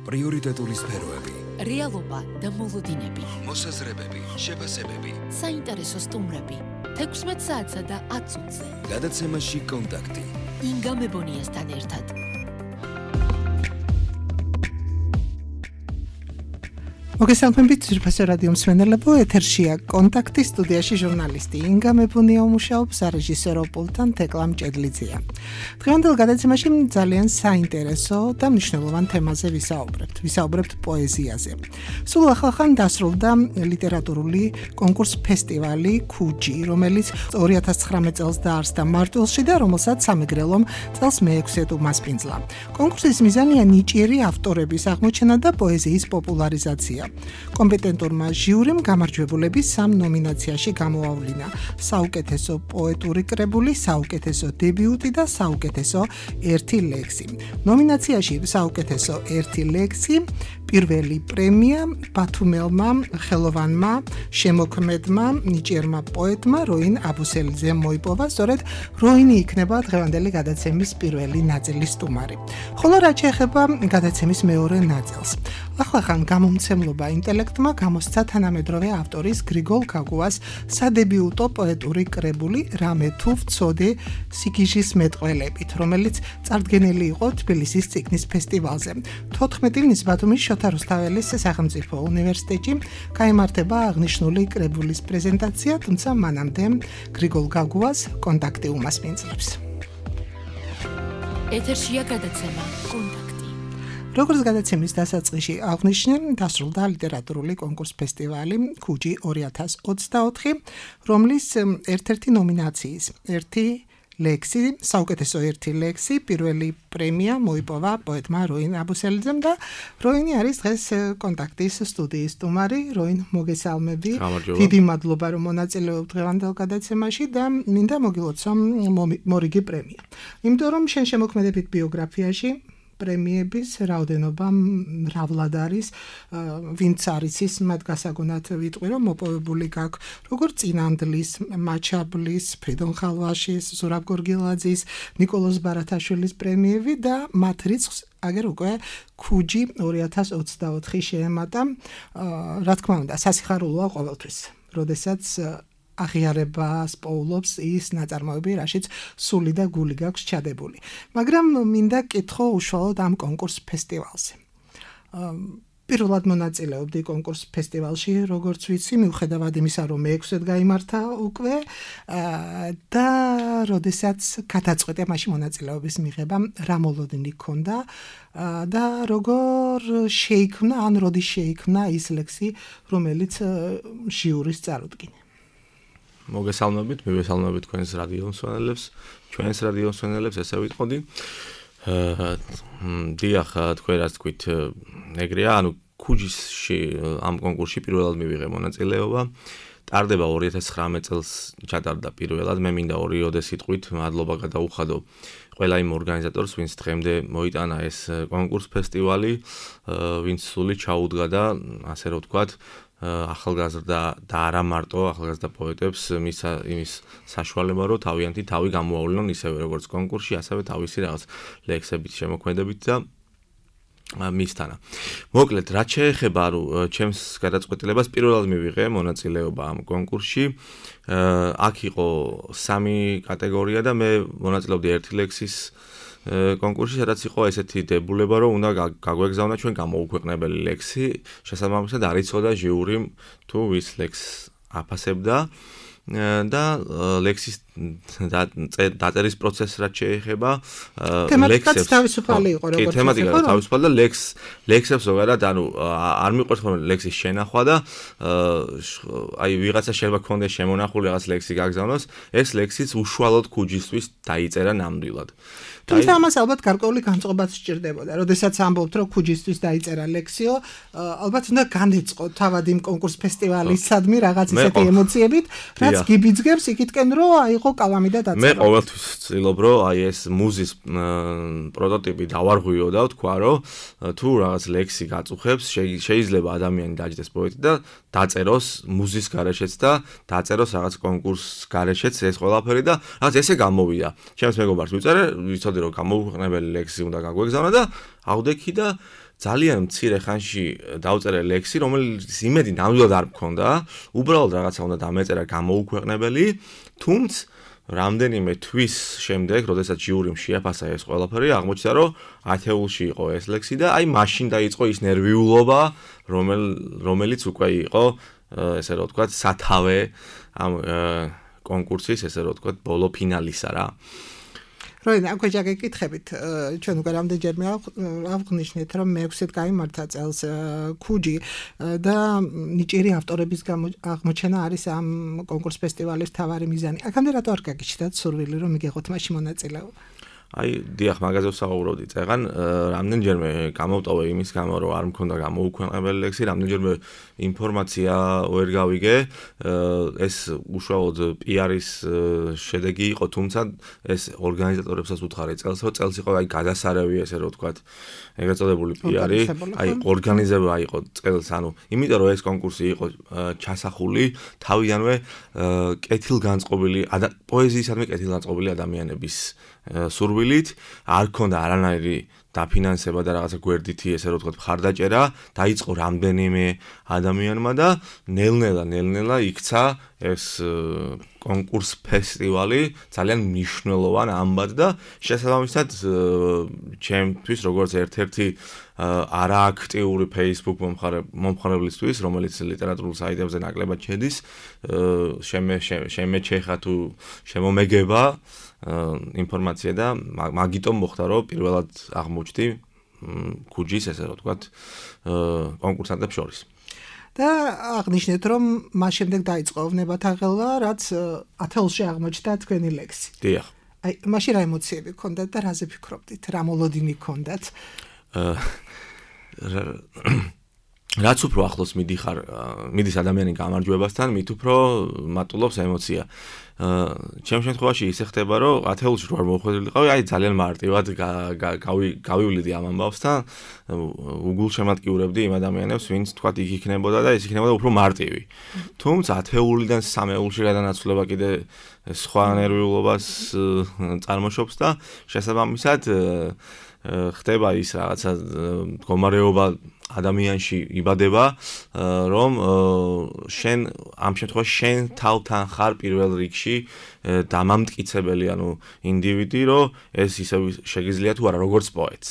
პრიორიტეტული სფეროები, რეალობა და მოლოდინები, მოსაზრებები, შეფასებები, საინტერესო სტუმრები, 16 საათსა და 10 წუთზე. გადაცემაში კონტაქტი. ინგა მებონიასთან ერთად. მოგესალმებით ძვირფასო რადიო მსმენელებო, ეთერშია კონტაქტი, სტუდიაში ჟურნალისტი ინგა მებონია მუშაობს, რეჟისორო პულტთან თეკლა მჭედლიძეა. დღევანდელ გადაცემაში ძალიან საინტერესო და მნიშვნელოვან თემაზე ვისაუბრებთ პოეზიაზე. სულ ახალხან დასრულდა ლიტერატურული კონკურს ფესტივალი ქუჯი, რომელიც 2019 წელს დაარსდა მარტვილში და რომელსაც სამეგრელომ წელს მე-6 უმასპინძლა. კონკურსის მიზანია ნიჭიერი ავტორების აღმოჩენა და პოეზიის პოპულარიზაცია. კომპეტენტურმა ჟიურიმ გამარჯვებულები 3 ნომინაციაში გამოავლინა: საუკეთესო პოეტური კრებული, საუკეთესო დებიუტი და საუკეთესო ერთი ლექსი. ნომინაციაში საუკეთესო ერთი ლექსი პირველი პრემია ბათუმელმა ხელოვანმა შემოქმედმა ნიჭიერმა პოეტმა როინ აბუსელიძემ მოიპოვა, სწორედ როინი იქნება დღევანდელი გადაცემის პირველი ნაწილის სტუმარი. ხოლო რაც შეეხება გადაცემის მეორე ნაწილს, ახალხან გამომცემლობა ინტელექტმა გამოსცა თანამედროვე ავტორის გრიგოლ გაგუას სადებიუტო პოეტური კრებული რამე თუ ვწოდე სიგიჟის მეტყველებით, რომელიც წარდგენილი იყო თბილისის წიგნის ფესტივალზე. 14 ივნის ბათუმის შოთა რუსთაველის სახელმწიფო უნივერსიტეტში გაიმართება აღნიშნული კრებულის პრეზენტაცია, თუმცა მანამდე გრიგოლ გაგუას კონტაქტი უმასპინძლებს. ეთერშია გადაცემა კონტაქტი. როგორც გადაცემის დასაწყისში აღნიშნე, დასრულდა ლიტერატურული კონკურს ფესტივალი ქუჯი 2024, რომლის ერთ-ერთი ნომინაციის ერთი ლექსი, საუკეთესო ერთი ლექსი, პირველი პრემია მოიპოვა პოეტმა როინ აბუსელიძემ და როინი არის დღეს კონტაქტის სტუდიის სტუმარი. როინ, მოგესალმები. დიდი მადლობა, რომ მონაწილეობთ დღევანდელ გადაცემაში და მინდა მოგილოცო მორიგი პრემია. იმიტომ რომ შენ შემოქმედებით ბიოგრაფიაში პრემიების რაოდენობა მრავლად არის, ვინც არის ის მათ გასაგონად ვიტყვი, რომ მოპოვებული გაქვს როგორც წინანდლის, მაჩაბლის, ფრიდონ ხალვაშის, ზურაბ გორგილაძის, ნიკოლოზ ბარათაშვილის პრემიები და მათ რიცხვს აგერ უკვე ქუჯი 2024 შეემატა. რა თქმა უნდა, სასიხარულოა ყოველთვის, როდესაც აღიარებას პოულობს ის ნაწარმოები, რაშიც სული და გული გაქვს ჩადებული. მაგრამ მინდა კითხო უშუალოდ ამ კონკურს ფესტივალზე. პირველად მონაწილეობდი კონკურს ფესტივალში, როგორც ვიცი, მიუხედავად იმისა, რომ მე-6-ად გაიმართა უკვე და როდესაც გადაწყვეტე მაშინ მონაწილეობის მიღება, რა მოლოდინი ჰქონდა და როგორ შეიქმნა, ან როდის შეიქმნა ის ლექსი, რომელიც ჟიურის წარუდგინე. მოგესალმებით, მივესალმებით თქვენს რადიო მსმენელებს, ჩვენს რადიო მსმენელებს, ესე ვიტყოდი. დიახ, თქვენ რაც თქვით, ეგრეა, ანუ ქუჯისში ამ კონკურსში პირველად მივიღე მონაწილეობა. ტარდება 2019 წელს ჩატარდა პირველად, მე მინდა ორი სიტყვით მადლობა გადაუხადო ყველა იმ ორგანიზატორს, ვინც დღემდე მოიტანა ეს კონკურს ფესტივალი, ვინც სული ჩაუდგა და ასე რომ ვთქვათ, ახალგაზრდა და არა მარტო ახალგაზრდა პოეტებს იმის საშუალება, რომ თავიანთი თავი გამოავლინონ ისევე როგორც კონკურსში, ასევე თავისი რაღაც ლექსებით, შემოქმედებით და მისთანა. მოკლედ, რაც შეეხება ჩემს გადაწყვეტილებას, პირველად მივიღე მონაწილეობა ამ კონკურსში. აქ იყო 3 კატეგორია და მე მონაწილეობდი ერთი ლექსის კონკურსში, სადაც იყო ესეთი დებულება, რომ უნდა გაგვეგზავნა ჩვენ გამოუქვეყნებელი ლექსი, შესაბამისად არ იცოდა ჟიურიმ თუ ვის ლექსს აფასებდა და ლექსის დაწერის პროცესს რაც შეეხება თემატიკაც თავისუფალი იყო, როგორც თემატიკა თავისუფალი და ლექსებს ზოგადად ანუ არ მიყვარს ხოლმე ლექსის შენახვა და აი ვიღაცა შეიძლება ქონდეს შემონახული რაღაც ლექსი გაგზავნოს, ეს ლექსიც უშუალოდ ქუჯისთვის დაიწერა ნამდვილად. თუმცა ამას ალბათ გარკვეული განწყობაც სჭირდებოდა. როდესაც ამბობთ, რომ ქუჯისთვის დაიწერა ლექსიო, ალბათ უნდა განეწყო თავად იმ კონკურს ფესტივალისადმი რაღაც ისეთი ემოციებით, რაც გიბიძგებს იქითკენ, რომ აიღო კალამი და დაწერა. მე ყოველთვის ვცდილობ, რომ აი ეს მუზის პროტოტიპი დავარღვიო და ვთქვა, რომ თუ რაღაც ლექსი გაწუხებს, შეიძლება ადამიანი დაჯდეს პოეტი და დაწეროს მუზის გარეშეც და დაწეროს რაღაც კონკურს გარეშეც ეს ყველაფერი და რაღაც ესე გამოვიდა. ჩემს მეგობარს ვიწერე, ვიცოდი რომ გამოუქვეყნებელი ლექსი უნდა გაგვეგზავნა და ავდექი და ძალიან მცირე ხანში დავწერე ლექსი, რომელიც იმედი ნამდვილად არ მქონდა, უბრალოდ რაღაცა უნდა დამეწერა გამოუქვეყნებელი, თუმცა რამდენიმე თვის შემდეგ, როდესაც ჟიურიმ შეაფასა ეს ყველაფერი, აღმოჩნდა, რომ ათეულში იყო ეს ლექსი და აი მაშინ დაიწყო ის ნერვიულობა, რომელიც უკვე იყო, ესე რომ ვთქვათ, სათავე ამ კონკურსის, ესე რომ ვთქვათ, ბოლო ფინალისა რა. როინა, აქვე ჯაგეკითხებით, ჩვენ უკვე რამდენჯერმე ავღნიშნეთ, რომ მე-6-ით გაიმართა წელს ქუჯი და ნიჭიერი ავტორების აღმოჩენა არის ამ კონკურს ფესტივალის მთავარი მიზანი. აქამდე რატო არ გაგიჩნდათ სურვილი, რომ მიგიღოთ მაშინ მონაწილეობა? აი, დიახ, მაგაზე ვსაუბრობდი წეგან, რამდენჯერმე გამოვტოვე იმის გამო, რომ არ მქონდა გამოუქვეყნებელი ლექსი, რამდენჯერმე ინფორმაცია ვერ გავიგე, ეს უშუალოდ PR-ის შედეგი იყო, თუმცა ეს ორგანიზატორებსაც უთხარი წელს, რომ წელს იყო აი გადასარევი, ესე რომ ვთქვათ, ეგრეთ წოდებული PR-ი, აი ორგანიზება იყო წელს, ანუ იმიტომ რომ ეს კონკურსი იყო ჩასახული თავიანვე კეთილგანწყობილი პოეზიისადმი კეთილგანწყობილი ადამიანების სურვილით, არ ქონდა არანაირი დაფინანსება და რაღაცა გვერდითი ესე რომ ვთქვათ მხარდაჭერა, დაიწყო რამდენიმე ადამიანმა და ნელ-ნელა იქცა ეს კონკურს ფესტივალი ძალიან მნიშვნელოვან ამბად და შესაბამისად ჩემთვის როგორც ერთ-ერთი არააქტიური Facebook მომხმარებლისთვის, რომელიც ლიტერატურულ საიტებზე ნაკლებად შედის, შემეჩეხა თუ შემომეგება ინფორმაცია და მაგიტომ მოხდა რომ პირველად აღმოჩნდი ქუჯის ესე რომ ვთქვათ კონკურსანტებს შორის. და აღნიშნეთ რომ მას შემდეგ დაიწყო ვნებათა ღელვა, რაც ათეულში აღმოჩნდა თქვენი ლექსი. დიახ. აი, მაშინ რა ემოციები გქონდათ და რაზე ფიქრობდით? რა მოლოდინი გქონდათ? რაც უფრო ახლოს მიდის ადამიანი გამარჯვებასთან, მით უფრო მატულობს ემოცია. ჩემ შემთხვევაში ისე ხდება, რომ ათეულში რო არ მოხვედრილიყავი, აი ძალიან მარტივად გავივლიდი ამ ამბავს და უგულშემატკივრებდი იმ ადამიანებს, ვინც თქვათ იქ იქნებოდა და ეს იქნებოდა უფრო მარტივი. თუმცა ათეულიდან სამეულში გადანაცვლება კიდე სხვა ნერვიულობას წარმოშობს და შესაბამისად ხდება ის რაღაცა მდგომარეობა ადამიანში იბადება, რომ შენ ამ შემთხვევაში შენ თავთან ხარ პირველ რიგში დამამტკიცებელი, ანუ ინდივიდი, რომ ეს ისევ შეგიძლია თუ არა როგორც პოეტს.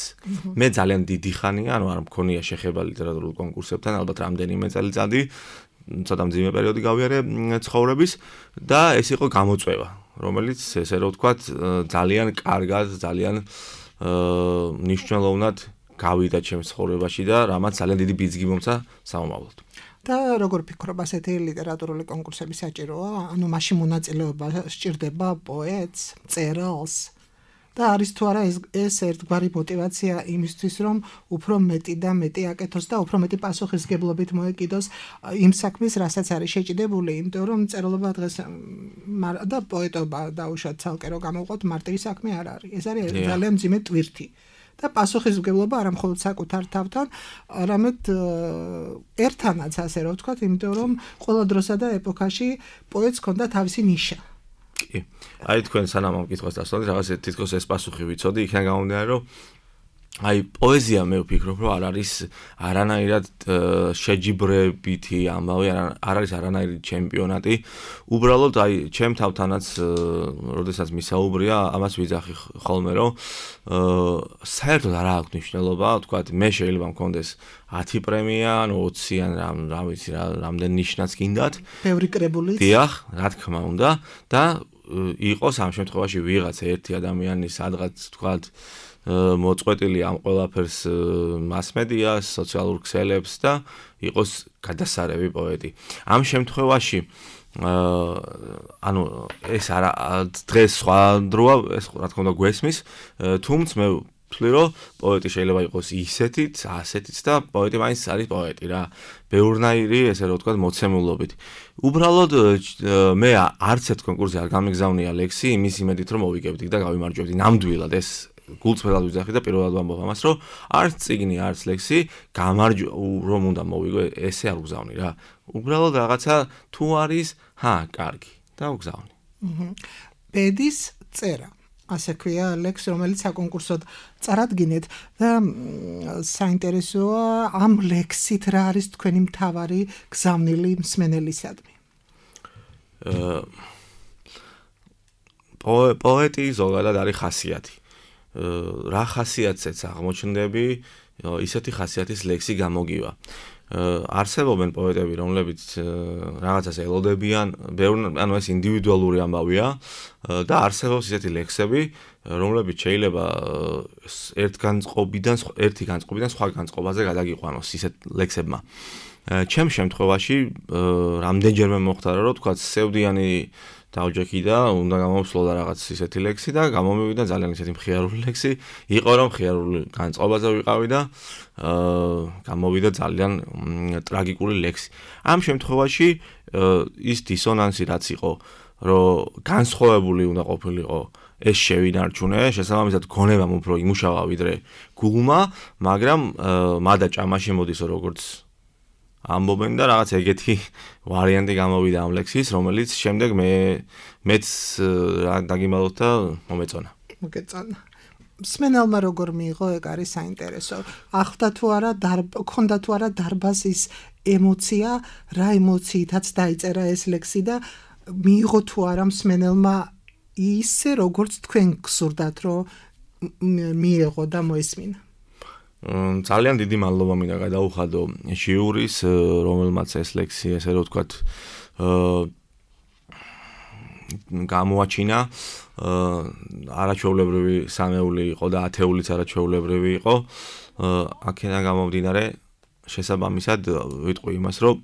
მე ძალიან დიდი ხანია, ანუ არ მქონია შეხება ლიტერატურულ კონკურსებთან, ალბათ რამდენიმე წელიწადი, ცოტა მძიმე პერიოდი გავიარე ცხოვრების და ეს იყო გამოწვევა, რომელიც ესე რომ ვთქვათ, ძალიან კარგად, ძალიან მნიშვნელოვნად გავიდა ჩემს ცხოვრებაში და რამაც ძალიან დიდი ბიძგი მომცა სამომავლოდ. და როგორ ფიქრობ, ასეთი ლიტერატურული კონკურსები საჭიროა? ანუ მაშინ მონაწილეობა სჭირდება პოეტს, მწერალს და არის თუ არა ეს ერთგვარი мотиваცია იმისთვის, რომ უფრო მეტი და მეტი აკეთოს და უფრო მეტი პასუხისგებლობით მოეკიდოს იმ საქმის, რასაც არის შეჭიდებული, იმიტომ რომ მწერლობა დღეს და პოეტობა დაუშვათ ცალკე რომ გამოვყოთ მარტივი საქმე არ არის. ეს არის ძალიან მძიმე ტვირთი. და პასუხისმგებლობა არა მხოლოდ საკუთარ თავთან, არამედ ერთანაც, ასე რომ ვთქვათ, იმიტომ რომ ყველა დროსა და ეპოქაში პოეტს ჰქონდა თავისი ნიშა. კი. აი თქვენ სანამ ამ კითხვას დასვანეთ, რაღაც თითქოს ეს პასუხი ვიცოდი, იქიდან გამომდინარე, რომ აი პოეზია მე ვფიქრობ, რომ არ არის არანაირად შეჯიბრებითი ამბავი, არ არის არანაირი ჩემპიონატი. უბრალოდ აი ჩემ თავთანაც, როდესაც მისაუბრია, ამას ვიძახი ხოლმე, რომ საერთოდ არ აქვს მნიშვნელობა, ვთქვათ, მე შეიძლება მქონდეს 10 პრემია, ანუ 20 ან რა ვიცი რა, რამდენ ნიშნაც გინდათ. ბევრი კრებულიც. დიახ, რა თქმა უნდა და იყოს ამ შემთხვევაში ვიღაც ერთი ადამიანი სადღაც ვთქვათ მოწყვეტილი ამ ყველაფერს მასმედიას, სოციალურ ქსელებს და იყოს გადასარევი პოეტი. ამ შემთხვევაში ანუ ეს არა დღეს სხვა დროა, ეს რა თქმა უნდა გვესმის, თუმცა მე ვთვლი, რომ პოეტი შეიძლება იყოს ისეთიც, ასეთიც და პოეტი მაინც არის პოეტი რა. ბევრნაირი, ესე რომ ვთქვათ, მოცემულობით. უბრალოდ მე არც ერთ კონკურსზე არ გამიგზავნია ლექსი იმის იმედით, რომ მოვიგებდი და გავიმარჯვებდი. ნამდვილად ეს გულწრფელად ვიძახი და პირველად ვამბობ ამას, რომ არც წიგნი, არც ლექსი რომ უნდა მოვიგო, ესე არ ვგზავნი რა. უბრალოდ რაღაცა თუ არის, კარგი და ვგზავნი. ბედის წერა. ასე ქვია ლექს, რომელიც საკონკურსოდ წარადგინეთ და საინტერესოა ამ ლექსით რა არის თქვენი მთავარი გზავნილი მსმენელისადმი. პოეტი ზოგადად არის ხასიათი. რა ხასიათზეც აღმოჩნდები, ისეთი ხასიათის ლექსი გამოგივა. არსებობენ პოეტები, რომლებიც რაღაცას ელოდებიან, ანუ ეს ინდივიდუალური ამბავია და არსებობს ისეთი ლექსები, რომლებიც შეიძლება ერთი განწყობიდან სხვა განწყობაზე გადაგიყვანოს ისეთ ლექსებმა. ჩემს შემთხვევაში რამდენჯერმე მოხდარა, რომ თქვა სევდიანი დავჯექი და უნდა გამოვსვლოდა რაღაც ისეთი ლექსი და გამომივიდა ძალიან ისეთი მხიარული ლექსი, იყო რომ მხიარული განწყობაზე ვიყავი და გამოვიდა ძალიან ტრაგიკული ლექსი. ამ შემთხვევაში ის დისონანსი რაც იყო, რომ განსხვავებული უნდა ყოფილიყო ეს შევინარჩუნე, შესაბამისად გონებამ უფრო იმუშავა ვიდრე გულმა, მაგრამ მადა ჭამაში მოდისო როგორც ამბობენ და რაღაც ეგეთი ვარიანტი გამოვიდა ამ ლექსის, რომელიც შემდეგ მეც დაგიმალოთ და მომეწონა. მოგეწონა. მსმენელმა როგორ მიიღო, ეგ არის საინტერესო. ახლდა თუ არა ქონდა თუ არა დარბაზის ემოცია, რა ემოციითაც დაიწერა ეს ლექსი და მიიღო თუ არა მსმენელმა ისე როგორც თქვენ გსურდათ, რომ მიიღო და მოესმინა. ძალიან დიდი მადლობა მინდა გადაუხადო ჟიურის, რომელმაც ეს ლექსი ესე რომ ვთქვათ გამოაჩინა, არაჩვეულებრივი სამეული იყო და ათეულიც არაჩვეულებრივი იყო. აქედან გამომდინარე, შესაბამისად ვიტყვი იმას, რომ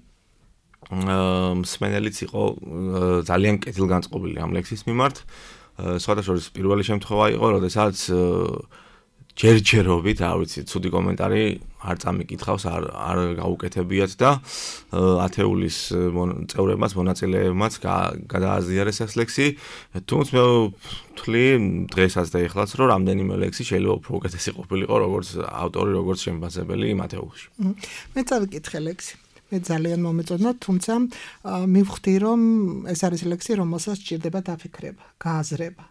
მსმენელიც იყო ძალიან კეთილგანწყობილი ამ ლექსის მიმართ. სხვადასხვა პირველი შემთხვევა იყო, როდესაც ჯერჯერობით, რა ვიცი, ცუდი კომენტარი არ წამიკითხავს, არ გაუკეთებიათ და ათეულის წევრებმაც, მონაწილეებმაც გადააზიარეს ეს ლექსი. თუმცა მე ვთვლი დღესაც და ეხლაც, რომ რამდენიმე ლექსი შეიძლება უფრო უკეთესი ყოფილიყო, როგორც ავტორი, როგორც შემფასებელი იმ ათეულში. მე წავიკითხე ლექსი. მე ძალიან მომეწონა, თუმცა მივხვდი, რომ ეს არის ლექსი, რომელსაც სჭირდება დაფიქრება, გააზრება.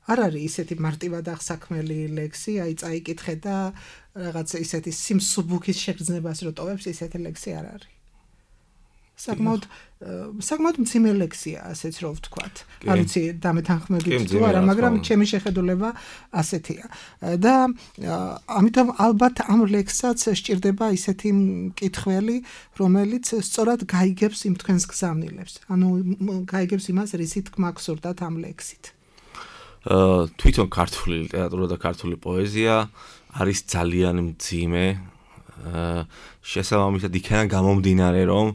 არ არის ისეთი მარტივად აღსაქმელი ლექსი, აი წაიკითხე და რაღაც ისეთი სიმსუბუქის შეგრძნებას რო ტოვებს, ისეთი ლექსი არ არის. საკმაოდ მძიმე ლექსია, ასეც რო ვთქვათ. არ ვიცი დამეთანხმებით თუ არა, მაგრამ ჩემი შეხედულება ასეთია. და ამიტომ ალბათ ამ ლექსსაც სჭირდება ისეთი მკითხველი, რომელიც სწორად გაიგებს იმ თქვენს გზავნილებს. ანუ გაიგებს იმას, რისი თქმა გსურდათ ამ ლექსით. თვითონ ქართული ლიტერატურა და ქართული პოეზია არის ძალიან მძიმე. შესაბამისად იქიდან გამომდინარე, რომ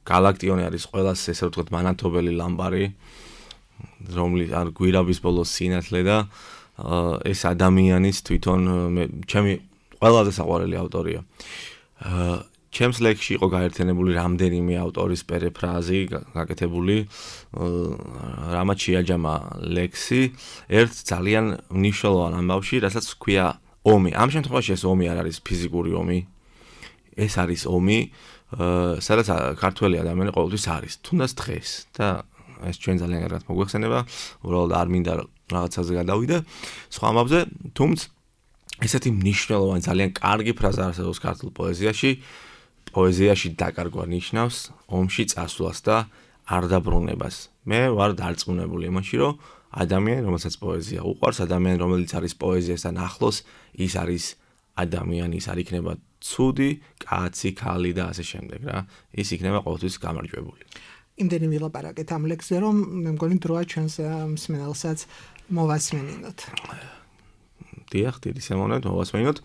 გალაქტიონი არის ყველას ესე ვთქვათ მანათობელი ლამპარი, რომლის არ გვირაბის ბოლოს სინათლე და ეს ადამიანის თვითონ ჩემი ყველაზე საყვარელი ავტორია. ჩემს ლექსში იყო გაერთიანებული რამდენიმე ავტორის პერიფრაზი გაკეთებული, რამაც შეაჯამა ლექსი ერთ ძალიან მნიშვნელოვან ამბავში, რასაც ქვია ომი. ამ შემთხვევაში ეს ომი არ არის ფიზიკური ომი, ეს არის ომი, სადაც ქართველი ადამიანი ყოველთვის არის, თუნდაც დღეს და ეს ჩვენ ძალიან კარგად მოგვეხსენება, უბრალოდ არ მინდა რაღაცაზე გადავიდე სხვა ამბავზე, თუმცა ესეთი მნიშვნელოვანი ძალიან კარგი ფრაზა არსებობს ქართულ პოეზიაში დაკარგვა ნიშნავს ომში წასვლას და არ დაბრუნებას. მე ვარ დარწმუნებული იმაში, რომ ადამიანი, რომელსაც პოეზია უყვარს, ადამიანი, რომელიც არის პოეზიასთან ახლოს, ის არის ადამიანი, ის არ იქნება ცუდი, კაცი, ქალი და ასე შემდეგ რა. ის იქნება ყოველთვის გამარჯვებული. იმდენი ვილაპარაკეთ ამ ლექსზე, რომ მე მგონი დროა ჩვენს მსმენელსაც მოვასმენინოთ. დიახ, დიდი სიამოვნებით მოვასმენინოთ.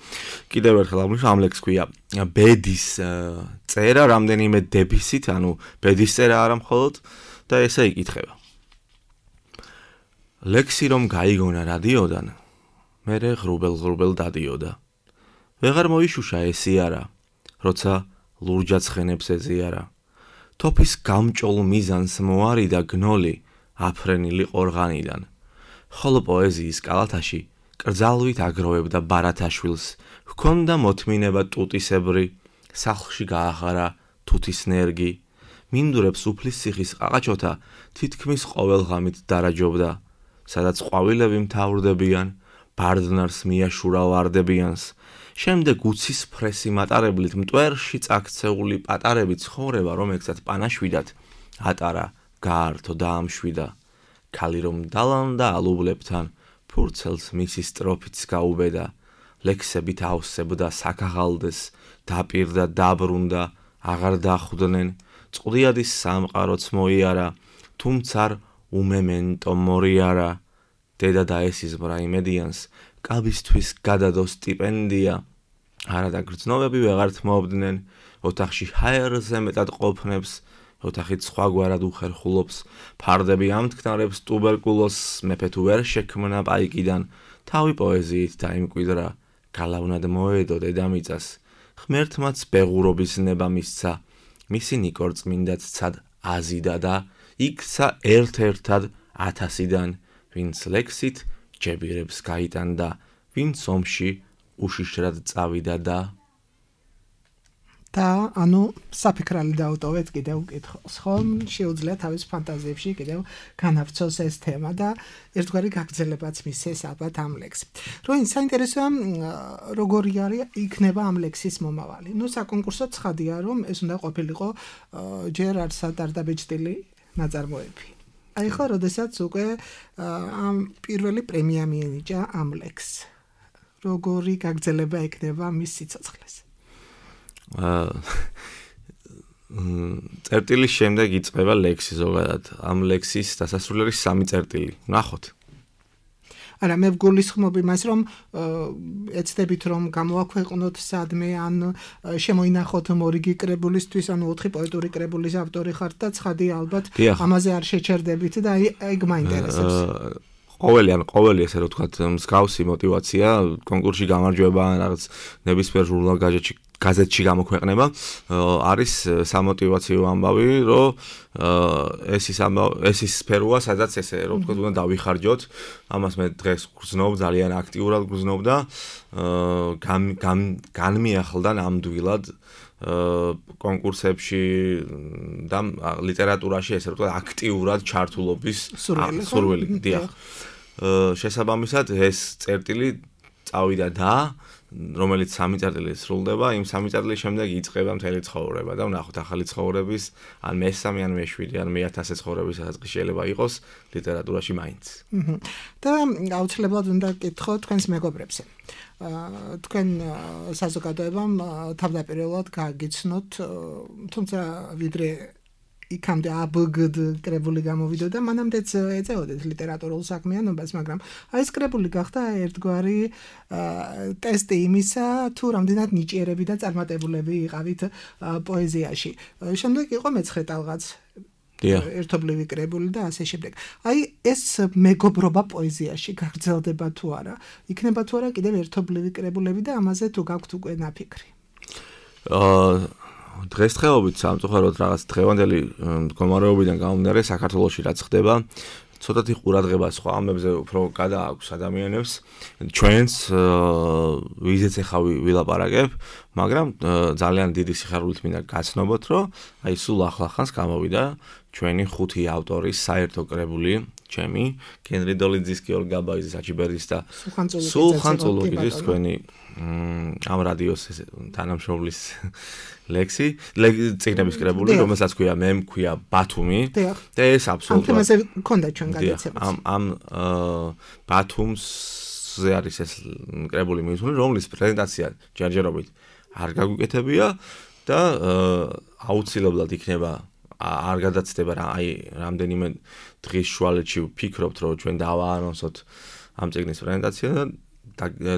კიდევ ერთხელ აღნიშნავ, ამ ლექსს ქვია ბედის წერა, რამდენიმე დებისით, ანუ ბედის წერა არა მხოლოდ და ესე იკითხება. ლექსი რომ გაიგონა რადიოდან, მერე ღრუბელ დადიოდა. ვეღარ მოიშუშა ესიარა, როცა ლურჯად ცხენებს ეზიარა. თოფის გამჭოლ მიზანს მოარიდა გნოლი, აფრენილი ყორღანიდან. ხოლო პოეზიის კალათაში კრძალვით აგროვებდა ბარათაშვილს, ჰქონდა მოთმინება ტუტისებრი, სახლში გაახარა თუთის ნერგი. მინდურებს უფლის ციხის ყაყაჩოთა თითქმის ყოველ ღამით დარაჯობდა, სადაც ყვავილები მთავრდებიან, ბარდნარს მიაშურა ვარდებიანს. შემდეგ უცის ფრესი მატარებლით მტვერში წაქცეული პატარები ცხოვრება, რომელსაც პანაშვიდად ატარა, გაართო და ამშვიდა. ქალი რომ დალანდა ალუბლებთან, ფურცელს მისი სტროფიც გაუბედა. ლექსებით ავსებდა საქაღალდეს, დაპირდა, დაბრუნდა, აღარ დახვდნენ. წყდიადის სამყაროც მოიარა, თუმცა უმემენტო მორიარა. დედა დაესიზმრა იმედიანს, კაბისთვის გადადო სტიპენდია. არადა გრძნობები ვეღართ მოობდნენ, ოთახში ჰაერზე მეტად ყოფნებს, ოთახით სხვაგვარად უხერხულობს, ფარდები ამთქნარებს ტუბერკულოზს, მეფე თუ ვერ შექმნა პაიკიდან, თავი პოეზიით დაიმკვიდრა, გალავნად მოედო დედამიწას, ღმერთმაც ბეღურობის ნება მისცა, მისი ნიკორწმინდაც ცად აზიდა და იქცა ერთ-ერთად 1000-დან, ვინც ლექსით ჯებირებს გაიტანდა, ვინც ომში უშიშრად წავიდა და ანუ საფიქრალი დაუტოვეთ კიდევ უკითხოს, ხო? შეუძლია თავის ფანტაზიებში კიდევ განავრცოს ეს თემა და ერთგვარი გაგრძელებაც მისცეს ალბათ ამ ლექსს. რომ საინტერესოა როგორი არის იქნება ამ ლექსის მომავალი. საკონკურსო ცხადია, რომ ეს უნდა ყოფილიყო ჯერ არსად არ დაბეჭდილი ნაწარმოები. აი ხო, როდესაც უკვე ამ პირველი პრემია მიენიჭა ამ ლექსს. როგორი გაგრძელება ექნება მის სიცოცხლეს? წერტილის შემდეგ იწყება ლექსი ზოგადად. ამ ლექსის დასასრული არის 3 წერტილი. ნახოთ. არა, მე ვგულისხმობ იმას, რომ ეცდებით რომ გამოაქვეყნოთ სადმე, ან შემოინახოთ მორიგი კრებულისთვის, ანუ 4 პოეტური კრებულის ავტორი ხართ და ცხადია ალბათ ამაზე არ შეჩერდებით და აი მაინტერესებს. ყოველი ესე რომ ვთქვათ, მსგავსი мотиваცია კონკურსში გამარჯვება ან რაღაც ნებისმიერ ჟურნალ გაზეთში გამოქვეყნება არის სამოტივაციო ამბავი, რომ ეს ის სფეროა, სადაც ესე რომ ვთქვათ, უნდა დავიხარჯოთ. ამას მე დღეს გრძნობ, ძალიან აქტიურად გრძნობ და განმიახლდა ნამდვილად კონკურსებში და ლიტერატურაში ესე რომ ვთქვათ, აქტიურად ჩართულობის სურვილი. დიახ. შესაბამისად ეს წერტილი წავიდა და რომელიც 3 წერტილი სრულდება, იმ 3 წერტილის შემდეგ იწყება მთელი ცხოვრება და ვნახოთ ახალი ცხოვრების, ან მე-3 ან მე-7 ან მე-1000 ცხოვრების ასაკი შეიძლება იყოს ლიტერატურაში მაინც. და აუცილებლად უნდა გკითხო თქვენს მეგობრებზე. თქვენ საზოგადოებამ თავდაპირველად გააგიცნოთ, თუმცა ვიდრე იქამდე ABGD კრებული გამოვიდოდა, მანამდეც ეწეოდეთ ლიტერატურულ საქმიანობას, მაგრამ აი ეს კრებული გახდა ერთგვარი ტესტი იმისა, თუ რამდენად ნიჭიერები და წარმატებულები იყავით პოეზიაში. შემდეგ იყო მეცხრე ტალღაც, ერთობლივი კრებული და ასე შემდეგ. აი ეს მეგობრობა პოეზიაში გაგრძელდება თუ არა? იქნება თუ არა კიდევ ერთობლივი კრებულები და ამაზე თუ გაქვთ უკვე ნაფიქრი? დღესდღეობით სამწუხაროდ რაღაც დღევანდელი მდგომარეობიდან გამომდინარე საქართველოში რაც ხდება, ცოტათი ყურადღება სხვა ამებზე უფრო გადააქვს ადამიანებს. ჩვენს ვიზეც ახლა ვილაპარაკებ, მაგრამ ძალიან დიდი სიხარულით მინდა გაცნობოთ, რომ აი სულ ახლახანს გამოვიდა ჩვენი 5 ავტორის საერთო კრებული, ჩემი, გენრი დოლიძის, გიორგ გაბაიძის, აჩიბერდის და სულხან წულუკიძის თქვენი ამ რადიოს თანამშრომლის ლექსი, წიგნების კრებული, რომელსაც ქვია მე მქვია ბათუმი და ეს აბსოლუტურად ამ თემაზე მქონდა ჩვენ გადაცემაც. ამ ბათუმზე არის ეს კრებული მისული, რომლის პრეზენტაცია ჯერჯერობით არ გაგვიკეთებია და აუცილებლად იქნება არ გადაცდება აი რამდენიმე დღის შუალედში ვფიქრობთ რომ ჩვენ დავაანონსოთ ამ წიგნის პრეზენტაცია და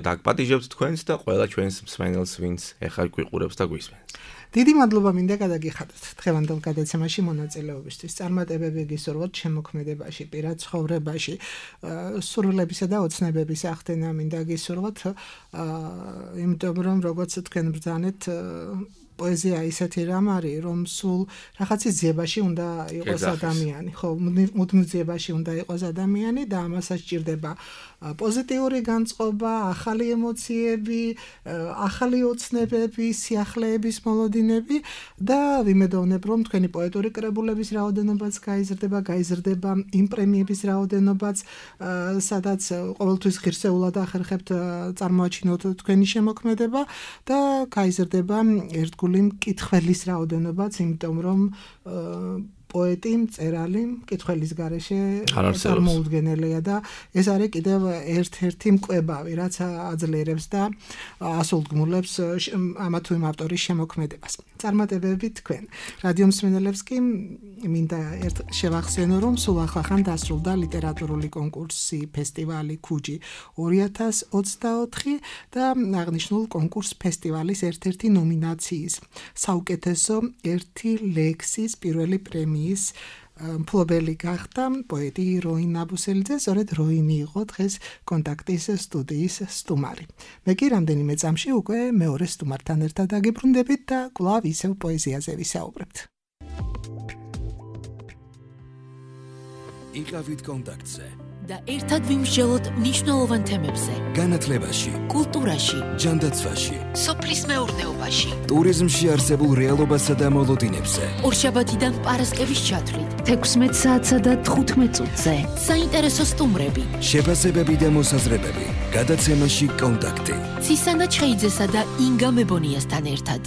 დაგპატიჟებთ თქვენს და ყველა ჩვენს მსმენელს ვინც ეხლა გვიყურებს და გვისმენს. დიდი მადლობა მინდა გადაგიხადოთ დღევანდელ გადაცემაში მონაწილეობისთვის. წარმატებები გისურვოთ შემოქმედებაში, პირად ცხოვრებაში, სურვილებისა და ოცნებების ახდენა მინდა გისურვოთ, იმიტომ რომ როგორც თქვენ ბრძანეთ პოეზია ისეთი რამ არის, რომ სულ რაღაცის ძიებაში უნდა იყოს ადამიანი, ხო, მუდმივ ძიებაში უნდა იყოს ადამიანი და ამასაც სჭირდება პოზიტიური განწყობა, ახალი ემოციები, ახალი ოცნებები, სიახლეების მოლოდინები და ვიმედოვნებ, რომ თქვენი პოეტური კრებულების რაოდენობაც გაიზრდება იმ პრემიების რაოდენობაც, სადაც ყოველთვის ღირსეულად ახერხებთ წარმოაჩინოთ თქვენი შემოქმედება და გაიზრდება ერთგული მკითხველის რაოდენობაც, იმიტომ რომ პოეტი, მწერალი, მკითხველის garaშე წარმოუდგენელია და ეს არის კიდევ ერთ-ერთი მკვებავი, რაც აძლიერებს და ასულგმულებს ამა თუ იმ ავტორის შემოქმედებას. წარმატებები თქვენ. რადიო მსმენელებს კი მინდა ერთ შევახსენო, რომ სულ ახლახან დასრულდა ლიტერატურული კონკურსი ფესტივალი ქუჯი 2024 და აღნიშნულ კონკურს ფესტივალის ერთ-ერთი ნომინაციის საუკეთესო ერთი ლექსის პირველი პრემია მფლობელი გახდა პოეტი როინ აბუსელიძე, სწორედ როინი იყო დღეს კონტაქტის სტუდიის სტუმარი. მე კი რამდენიმე წამში უკვე მეორე სტუმართან ერთად დაგიბრუნდებით და კვლავ ისევ პოეზიაზე ვისაუბრებთ. იყავით კონტაქტზე და ერთად ვიმსჯელოთ მნიშვნელოვან თემებზე. განათლებაში, კულტურაში, ჯანდაცვაში, სოფლის მეურნეობაში, ტურიზმში არსებულ რეალობასა და მოლოდინებზე. ორშაბათიდან პარასკევის ჩათვლით 16 საათსა და 15 წუთზე. საინტერესო სტუმრები, შეფასებები და მოსაზრებები. გადაცემაში კონტაქტი. ცისანა ჩხეიძესა და ინგა მებონიასთან ერთად.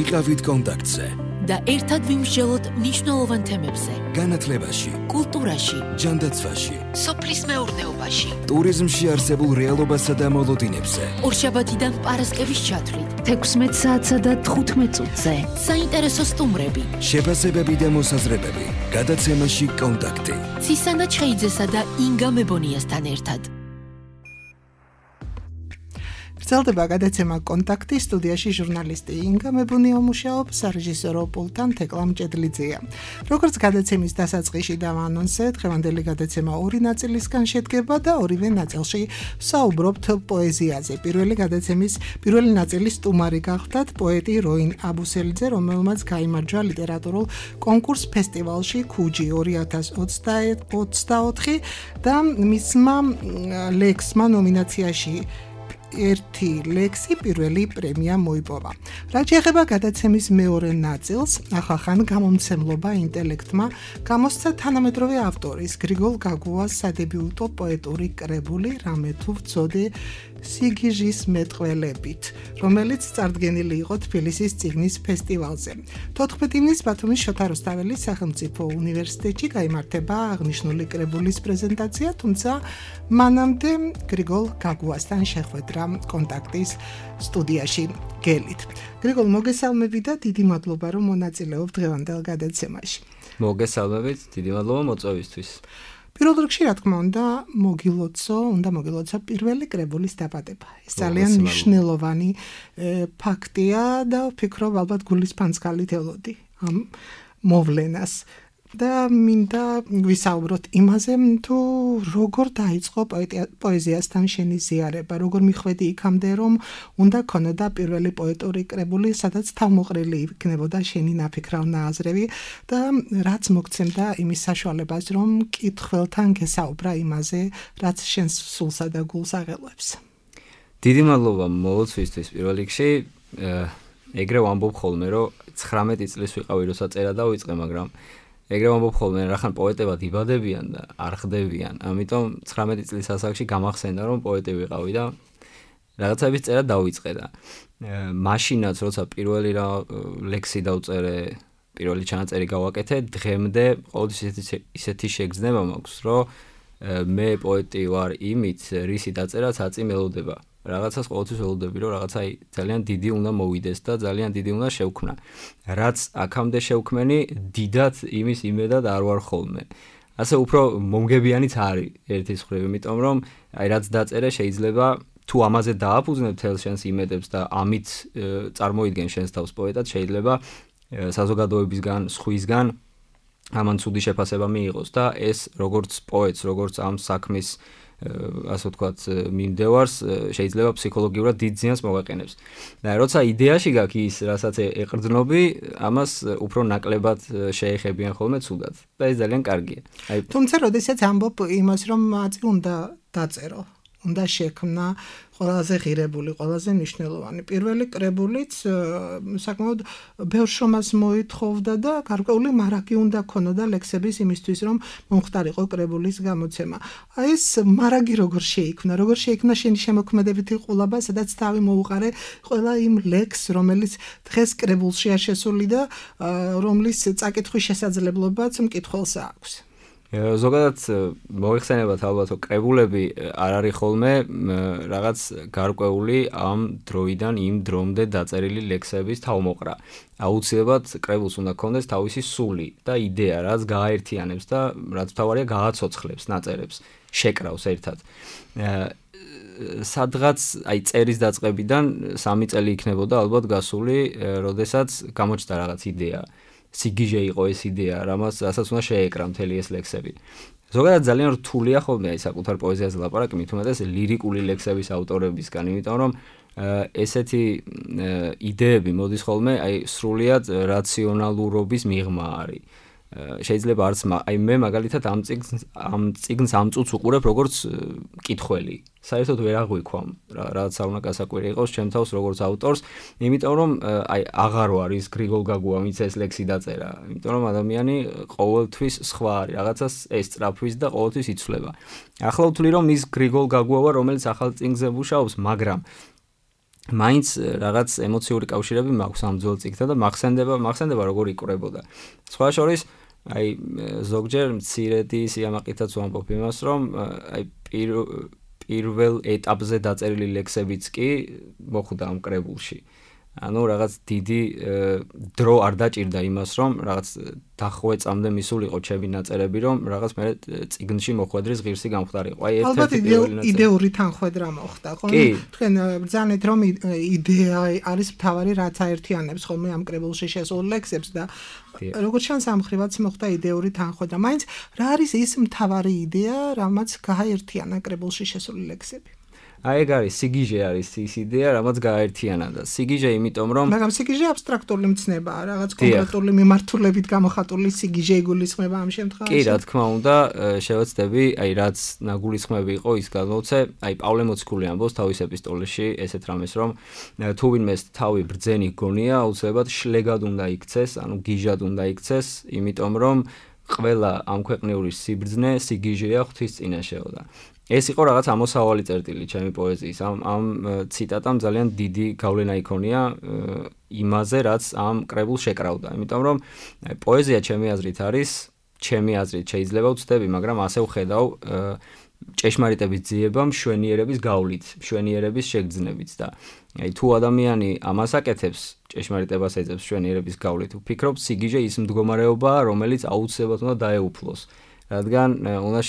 იყავით კონტაქტზე და ერთად ვიმსჯელოთ მნიშვნელოვან თემებზე. განათლებაში, კულტურაში, ჯანდაცვაში, სოფლის მეურნეობაში, ტურიზმში არსებულ რეალობასა და მოლოდინებზე. ორშაბათიდან პარასკევის ჩათვლით 16 საათსა და 15 წუთზე. საინტერესო სტუმრები, შეფასებები და მოსაზრებები. გადაცემაში კონტაქტი. ცისანა ჩხეიძესა და ინგა მებონიასთან ერთად. გრძელდება გადაცემა კონტაქტი, სტუდიაში ჟურნალისტი ინგა მებუნია მუშაობს, სარეჟისორო პულტთან თეკლა მჭედლიძეა. როგორც გადაცემის დასაწყისში დავანონსეთ, დღევანდელი გადაცემა ორი ნაწილისგან შედგება და ორივე ნაწილში საუბრობთ პოეზიაზე. პირველი ნაწილის სტუმარი გახლდათ პოეტი როინ აბუსელიძე, რომელმაც გაიმარჯვა ლიტერატურულ კონკურს ფესტივალში ქუჯი 2024 და მისმა ლექსმა ნომინაციაში ერთი ლექსი პირველი პრემია მოიპოვა. რაც შეეხება გადაცემის მეორე ნაწილს, ახახან გამომცემლობა ინტელექტმა გამოსცა თანამედროვე ავტორის გრიგოლ გაგუას სადებიუტო პოეტური კრებული რამე თუ ვწოდე სიგიჟის მეტყველებით, რომელიც წარდგენილი იყო თბილისის წიგნის ფესტივალზე. 14 ივნისს ბათუმის შოთა რუსთაველის სახელმწიფო უნივერსიტეტში გაიმართება აღნიშნული კრებულის პრეზენტაცია, თუმცა მანამდე გრიგოლ გაგუასთან შეხვედრა კონტაქტის სტუდიაში გელით. გრიგოლ, მოგესალმები და დიდი მადლობა, რომ მონაწილეობ დღევანდელ გადაცემაში. მოგესალმებით, დიდი მადლობა მოწვევისთვის. პირველ რიგში, რა თქმა უნდა, მოგილოცა პირველი კრებულის დაბადება. ეს ძალიან მნიშვნელოვანი ფაქტია და ვფიქრობ, ალბათ გულის ფანძქალით ელოდი ამ მოვლენას. და მინდა ვისაუბროთ იმაზე, თუ როგორ დაიწყო პოეზიასთან შენი ზიარება, როგორ მიხვედი იქამდე, რომ უნდა ქონოდა პირველი პოეტური კრებული, სადაც თავმოყრილი იქნებოდა შენი ნაფიქრალ ნააზრევი და რაც მოგცემდა იმის საშუალებას, რომ მკითხველთან გესაუბრა იმაზე, რაც შენს სულსა და გულს აღელვებს. დიდი მადლობა მოლოცვისთვის პირველ რიგში. ეგრე ვამბობ ხოლმე, რომ 19 წლის ვიყავი, როცა წერა დავიწყე, მაგრამ ეგრე ვამბობ ხოლმე, რახან პოეტებად იბადებიან და არ ხდებიან. ამიტომ 19 წლის ასაკში გამახსენდა, რომ პოეტი ვიყავი და რაღაცების წერა დავიწყე და მაშინაც როცა პირველი ლექსი დავწერე, პირველი ჩანაწერი გავაკეთე, დღემდე ყოველთვის ისეთი შეგრძნება მაქვს, რომ მე პოეტი ვარ იმით, რისი დაწერაც აწი მელოდება. რაღაცას ყოველთვის ველოდები, რომ რაღაცა ძალიან დიდი უნდა მოვიდეს და ძალიან დიდი უნდა შევქმნა. რაც აქამდე შევქმენი, დიდად იმის იმედად არ ვარ ხოლმე. ასე უფრო მომგებიანიც არის ერთის მხრივ, იმიტომ რომ რაც დაწერე შეიძლება თუ ამაზე დააფუძნებ თელ შენს იმედებს და ამით წარმოიდგენ შენს თავს პოეტად, შეიძლება საზოგადოებისგან, სხვისგან ამან ცუდი შეფასება მიიღოს და ეს როგორც პოეტს, როგორც ამ საქმის ასე ვთქვათ, მიმდევარს შეიძლება ფსიქოლოგიურად დიდ ზიანს მოვაყენებს. და როცა იდეაში გაქვს ის, რასაც ეყრდნობი, ამას უფრო ნაკლებად შეეხებიან ხოლმე ცუდად. და ეს ძალიან კარგია. თუმცა, როდესაც ამბობ იმას, რომ აწი უნდა დაწერო, უნდა შექმნა ყველაზე ღირებული, ყველაზე მნიშვნელოვანი. პირველი კრებულიც საკმაოდ ბევრ შრომას მოითხოვდა და გარკვეული მარაგი უნდა ქონოდა ლექსების იმისთვის, რომ მომხდარიყო კრებულის გამოცემა. აი ეს მარაგი როგორ შეიქმნა შენი შემოქმედებითი ყულაბა, სადაც თავი მოუყარე ყველა იმ ლექსს, რომელიც დღეს კრებულშია შესული და რომლის წაკითხვის შესაძლებლობაც მკითხველს აქვს. ზოგადად მოიხსენებათ ალბათ რომ კრებულები არ არის ხოლმე რაღაც გარკვეული ამ დროიდან იმ დრომდე დაწერილი ლექსების თავმოყრა. აუცილებლად კრებულს უნდა ქონდეს თავისი სული და იდეა, რაც გააერთიანებს და რაც თავარია გააცოცხლებს ნაწერებს, შეკრავს ერთად. სადღაც აი წერის დაწყებიდან 3 წელი იქნებოდა ალბათ გასული, როდესაც გამოჩნდა რაღაც იდეა. სიგიჟე იყო ეს იდეა, რასაც უნდა შეეკრა მთელი ეს ლექსები. ზოგადად ძალიან რთულია ხოლმე აი საკუთარ პოეზიაზე ლაპარაკი, მით უმეტეს ლირიკული ლექსების ავტორებისგან, იმიტომ რომ ესეთი იდეები მოდის ხოლმე აი სრულიად რაციონალურობის მიღმა არის. შეიძლება არც აი მე მაგალითად ამ წიგნს ამ წუთს უყურებ როგორც მკითხველი. საერთოდ ვერ აღვიქვამ, რაც არ უნდა გასაკვირი იყოს ჩემ თავს როგორც ავტორს, იმიტომ რომ აი აღარ ვარ ის გრიგოლ გაგუა, ვინც ეს ლექსი დაწერა. იმიტომ რომ ადამიანი ყოველთვის სხვა არის, რაღაცას ესწრაფვის და ყოველთვის იცვლება. ახლა ვთვლი რომ ის გრიგოლ გაგუა ვარ, რომელიც ახალ წიგნზე მუშაობს, მაგრამ მაინც რაღაც ემოციური კავშირები მაქვს ამ ძველ წიგნთან და მახსენდება როგორ იკვრებოდა. სხვა შორის აი ზოგჯერ მცირედი სიამაყითაც ვამბობ იმას, რომ აი პირველ ეტაპზე დაწერილი ლექსებიც კი მოხვდა ამ კრებულში. ანუ რაღაც დიდი დრო არ დაჭირდა იმას, რომ რაღაც დახვეწამდე მისულიყო ჩემი ნაწერები, რომ რაღაც მე წიგნში მოხვედრის ღირსი გამხდარიყო. აი ერთ-ერთი იდეური თანხვედრა მოხდა, ხო? თქვენ ბრძანეთ, რომ იდეა არის მთავარი, რაც აერთიანებს ხოლმე ამ კრებულში შესულ ლექსებს და როგორც ჩანს ამ ხრივაც მოხდა იდეური თანხვედრა. მაინც რა არის ის მთავარი იდეა, რამაც გააერთიანა კრებულში შესული ლექსები? აი ეგ არის სიგიჟე არის ის იდეა, რამაც გააერთიანა და სიგიჟე იმიტომ რომ მაგრამ სიგიჟე აბსტრაქტული მცნებაა, რაღაც კონკრეტული მიმართულებით გამოხატული სიგიჟე იგულისხმება ამ შემთხვევაში. კი, რა თქმა უნდა, შევეცდები, აი რაც ნაგულისხმები იყო, ის გამოვცე, აი პავლე მოციქული ამბობს თავის ეპისტოლეში ესეთ რამეს, რომ თუ ვინმეს თავი ბრძენი გონია, აუცილებლად შლეგად უნდა იქცეს, ანუ გიჟად უნდა იქცეს, იმიტომ რომ ყველა ამ ქვეყნიური სიბრძნე სიგიჟეა ღვთის წინაშეო და ეს იყო რაღაც ამოსავალი წერტილი ჩემი პოეზიის. ამ ციტატამ ძალიან დიდი გავლენა იქონია იმაზე, რაც ამ კრებულს შეკრავდა. იმიტომ რომ პოეზია ჩემი აზრით არის, ჩემი აზრით შეიძლება ვცდები, მაგრამ ასე ვხედავ ჭეშმარიტების ძიება მშვენიერების გავლით, მშვენიერების შეგრძნებით და აი თუ ადამიანი ამას აკეთებს, ჭეშმარიტებას ეძებს მშვენიერების გავლით, ვფიქრობ, სიგიჟე ის მდგომარეობაა, რომელიც აუცილებლად უნდა დაეუფლოს. რადგან უნდა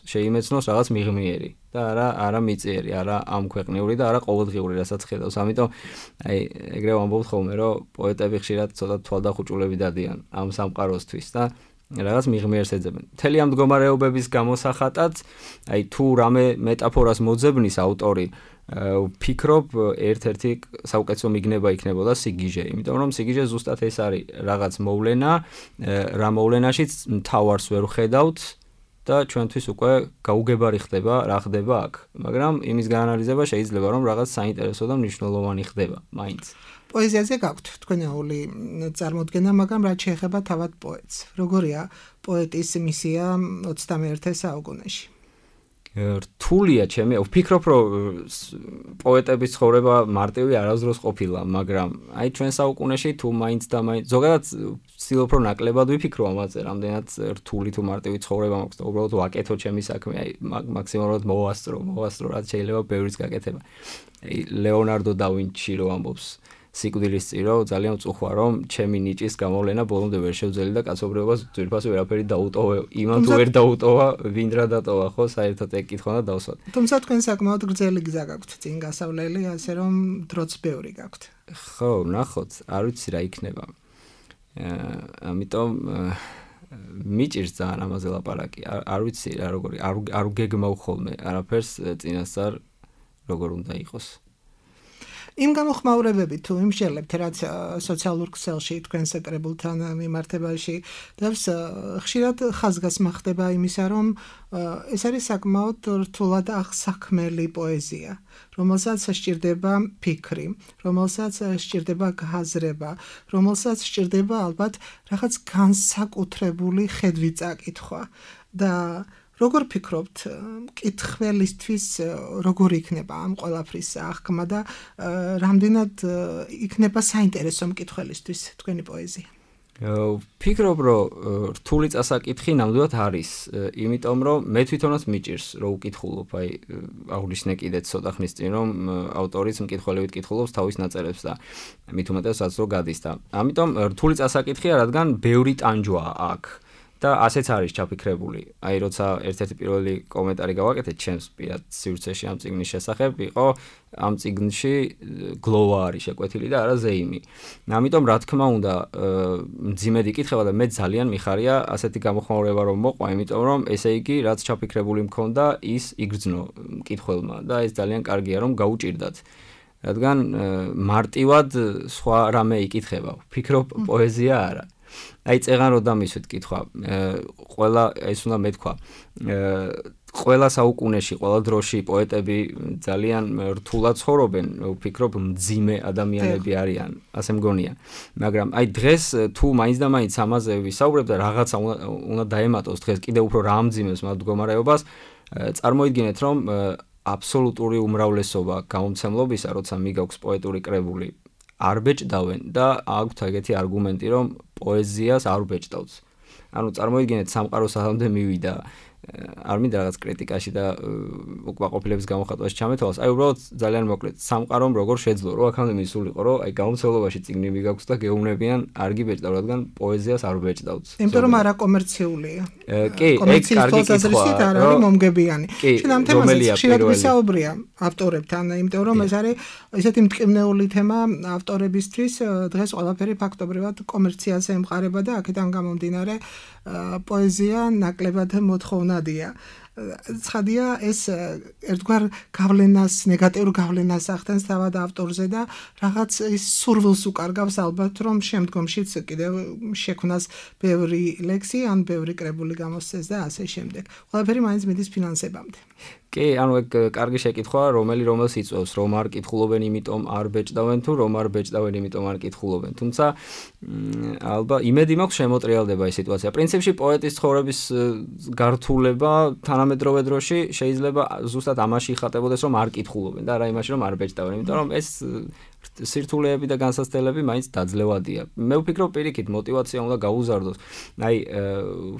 შეიმეცნოს რაღაც მიღმიერი და არა მიწიერი, არა ამ ქვეყნიური და არა ყოველდღიური, რასაც ხედავს. ამიტომ აი ეგრე ვამბობთ ხოლმე, რომ პოეტები ხშირად ცოტა თვალდახუჭულები დადიან ამ სამყაროსთვის და რაღაც მიღმიერს ეძებენ. მთელი ამ მდგომარეობების გამოსახატად, აი თუ რამე მეტაფორას მოძებნის ავტორი, ვფიქრობ, ერთ-ერთი საუკეთესო მიგნება იქნებოდა სიგიჟე, იმიტომ რომ სიგიჟე ზუსტად ეს არის რაღაც მოვლენა, რა მოვლენაშიც მთავარს ვერ ვხედავთ და ჩვენთვის უკვე გაუგებარი ხდება, რა ხდება აქ. მაგრამ იმის გაანალიზება შეიძლება რომ რაღაც საინტერესო და მნიშვნელოვანი ხდება, მაინც. პოეზიაზე გაქვთ თქვენეული წარმოდგენა, მაგრამ რაც შეეხება თავად პოეტს. როგორია პოეტის მისია 21 საუკუნეში? რთულია ჩემი, ვფიქრობ, რომ პოეტების ცხოვრება მარტივი არასდროს ყოფილა, მაგრამ აი ჩვენ საუკუნეში თუ მაინც და მაინც ზოგადად ვცდილობ რომ ნაკლებად ვიფიქრო ამაზე, რამდენად რთული თუ მარტივი ცხოვრება მაქვს და უბრალოდ ვაკეთო ჩემი საქმე, აი მაქსიმალურად მოვასწრო, რაც შეიძლება ბევრის გაკეთება. აი ლეონარდო და ვინჩი რო ამბობს სიკვდილის წირო, ძალიან ვწუხვა, რომ ჩემი ნიჭის გამოვლენა ბოლომდე ვერ შევძელი და კაცობრიობას ძვირფასი ვერაფერი დაუტოვე. იმან თუ ვერ დაუტოვა, ვინ რა დატოვა, ხო, საერთოდ ეგ კითხვა და დავსვათ. თუმცა თქვენ საკმაოდ გრძელი გზა გაქვთ წინ გასავლელი, ასე რომ დროც ბევრი გაქვთ. ხო, ნახოთ, არ ვიცი რა იქნება. ამიტომ მიჭირს ძალიან ამაზე ლაპარაკი. არ ვიცი რა როგორი არ გეგმავ ხოლმე არაფერს წინასწარ როგორ უნდა იყოს. იმ გამოხმაურებებით თუ იმ შელებთ რაც სოციალურ ქსელში თქვენს კრებულთან მიმართებაში დავს ხშირად ხაზგასმა ხდება იმისა რომ ეს არის საკმაოდ რთულად აღსაქმელი პოეზია რომელსაც სჭირდება ფიქრი რომელსაც სჭირდება გაზრება რომელსაც სჭირდება ალბათ რაღაც განსაკუთრებული ხედვი წაკითხვა და როგორ ფიქრობთ, მკითხველისთვის როგორ იქნება ამ ყველაფრის აღქმა და რამდენად იქნება საინტერესო მკითხველისთვის თქვენი პოეზია? ფიქრობ, რომ რთული წასაკითხი ნამდვილად არის, იმიტომ რომ მე თვითონაც მიჭირს, რომ უკითხულობ, აი აღვნიშნე კიდე ცოტა ხნის წინ, რომ ავტორიც მკითხველებით კითხულობს თავის ნაწერებს და მით უმეტეს რაც რო გადის და ამიტომ რთული წასაკითხია, რადგან ბევრი ტანჯვაა აქ. და ასეც არის ჩაფიქრებული. აი როცა ერთ-ერთი პირველი კომენტარი გავაკეთეთ ჩემს პირად სივრცეში ამ წიგნის შესახებ, იყო ამ წიგნში გლოვა არის შეკვეთილი და არა ზეიმი. ამიტომ რა თქმა უნდა, მძიმედ იკითხება და მე ძალიან მიხარია ასეთი გამოხმაურება რომ მოყვა, იმიტომ რომ ესე იგი რაც ჩაფიქრებული მქონდა, ის იგრძნო მკითხველმა და ეს ძალიან კარგია რომ გაუჭირდათ. რადგან მარტივად სხვა რამე იკითხება. ფიქრობ პოეზია არა. აი წეღან რო დამისვით კითხვა ყველა ეს უნდა მეთქვა ყველა საუკუნეში ყველა დროში პოეტები ძალიან რთულად ცხოვრობენ ვფიქრობ მძიმე ადამიანები არიან ასე მგონია მაგრამ აი დღეს თუ მაინც და მაინც ამაზე ვისაუბრებ და რაღაცა უნდა დაემატოს დღეს კიდე უფრო რა ამძიმებს მათ მდგომარეობას წარმოიდგინეთ რომ აბსოლუტური უმრავლესობა გამომცემლობისა როცა მიგაქვს პოეტური კრებული არ ბეჭდავენ და აქვთ ეგეთი არგუმენტი რომ პოეზიას არ ბეჭდავს. ანუ წარმოიდგინეთ სამყარო სამდე მივიდა არ მინდა რაღაც კრიტიკაში და უკმაყოფილების გამოხატვაში ჩამეთვალოს. აი უბრალოდ ძალიან მოკლედ სამყარომ როგორ შეძლო რომ აქამდე მისულიყო რომ აი გამომცემლობაში წიგნი მიგაქვს და გეუბნებიან არ გიბეჭდავ რადგან პოეზიას არ ბეჭდავთ. იმიტომ რომ არა კომერციულია. კი, ეგ კარგი კითხვაა. არ არის მომგებიანი. შენ ამ თემაზე ხშირად ვისაუბრია ავტორებთან, იმიტომ რომ ეს არის ესეთი მტკივნეული თემა ავტორებისთვის დღეს ყველაფერი ფაქტობრივად კომერციას ემყარება და აქედან გამომდინარე პოეზია ნაკლებად მოთხოვნადია. ცხადია ეს ერთგვარ გავლენას, ნეგატიურ გავლენას ახდენს თავად ავტორზე და რაღაც ის სურვილს უკარგავს ალბათ რომ შემდგომშიც კიდევ შექმნას ბევრი ლექსი ან ბევრი კრებული გამოსცეს და ასე შემდეგ. ყველაფერი მაინც მიდის ფინანსებამდე. კი, ანუ ეგ კარგი შეკითხვაა, რომელს იწვევს, რომ არ კითხულობენ, იმიტომ არ ბეჭდავენ თუ რომ არ ბეჭდავენ, იმიტომ არ კითხულობენ. თუმცა ალბათ იმედი მაქვს შემოტრიალდება ეს სიტუაცია. პრინციპში პოეტის ცხოვრების გართულება თანამედროვე დროში შეიძლება ზუსტად ამაში იხატებოდეს, რომ არ კითხულობენ და არა იმაში, რომ არ ბეჭდავენ, იმიტომ რომ ეს სირთულეები და განსაცდელები მაინც დაძლევადია. მე ვფიქრობ პირიქით мотиваცია უნდა გაუზარდოს. აი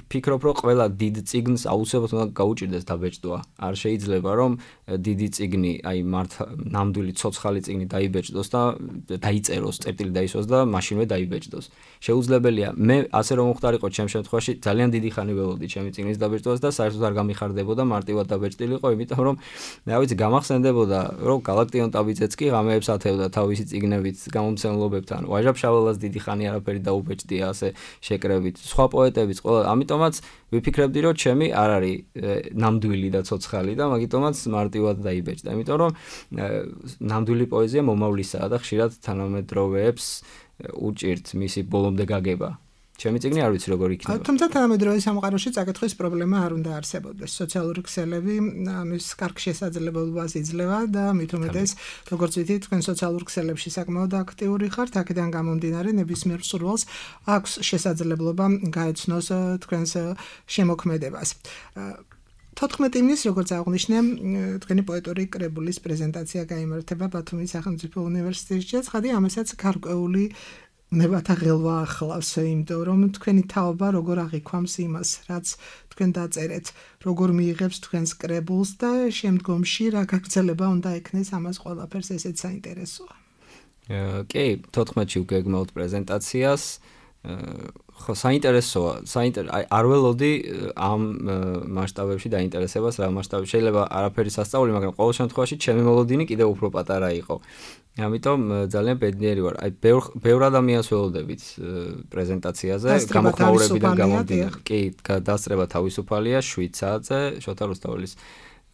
ვფიქრობ რომ ყველა დიდ წიგნს აუცილებლად უნდა გაუჭირდეს დაბეჭდვა. არ შეიძლება რომ დიდი წიგნი, აი ნამდვილი ცოცხალი წიგნი დაიბეჭდოს და დაიწეროს, წერტილი დაისვას და მაშინვე დაიბეჭდოს. შეუძლებელია. მე ასე რომ მოხდარიყო ჩემ შემთხვევაში ძალიან დიდი ხანი ველოდი ჩემი წიგნის დაბეჭდვას და საერთოდ არ გამიხარდებოდა მარტივად დაბეჭდილიყო, იმიტომ რომ რა ვიცი გამახსენდებოდა რომ გალაქტიონ ტაბიძეც კი ღამეებს ათევდა თავისი წიგნებით გამომცემლობებთან. ვაჟა ფშაველას დიდი ხანი არაფერი დაუბეჭდია ასე შეკრებით. სხვა პოეტებიც ყველა ამიტომაც ვიფიქრებდი რომ ჩემი არ არის ნამდვილი და ცოცხალი და მაგიტომაც მარტივად დაიბეჭდა. იმიტომ რომ ნამდვილი პოეზია მომავლისაა და ხშირად თანამედროვეებს უჭირთ მისი ბოლომდე გაგება. ჩემი წიგნი არ ვიცი როგორ იქნება. თუმცა თანამედროვე სამყაროში წაკითხვის პრობლემა არ უნდა არსებობდეს. სოციალური ქსელები ამის კარგ შესაძლებლობას იძლევა და მით უმეტეს, როგორც ვიცით, თქვენ სოციალურ ქსელებში საკმაოდ აქტიური ხართ, აქედან გამომდინარე ნებისმიერ მსურველს აქვს შესაძლებლობა გაეცნოს თქვენს შემოქმედებას. 14 ივნის, როგორც აღნიშნე, თქვენი პოეტური კრებულის პრეზენტაცია გაიმართება ბათუმის სახელმწიფო უნივერსიტეტში. ცხადია, ამასაც გარკვეული ნებათა ღელვა ახლავს, იმიტომ რომ თქვენი თაობა როგორ აღიქვამს იმას, რაც თქვენ დაწერეთ, როგორ მიიღებს თქვენს კრებულს და შემდგომში რა გაგრძელება უნდა ექნეს ამას ყველაფერს ესეც საინტერესოა. კი, 14-ში ვგეგმავთ პრეზენტაციას. ხო, საინტერესოა, არ ველოდი ამ მასშტაბებში დაინტერესებას, რა მასშტაბში შეიძლება არაფერი სასწაული, მაგრამ ყოველ შემთხვევაში ჩემი მოლოდინი კიდევ უფრო პატარა იყო. ამიტომ ძალიან ბედნიერი ვარ. აი ბევრ ადამიანს ველოდებით პრეზენტაციაზე, გამოხმაურებიდან გამომდინარე. კი, დასწრება თავისუფალია 7 საათზე შოთა რუსთაველის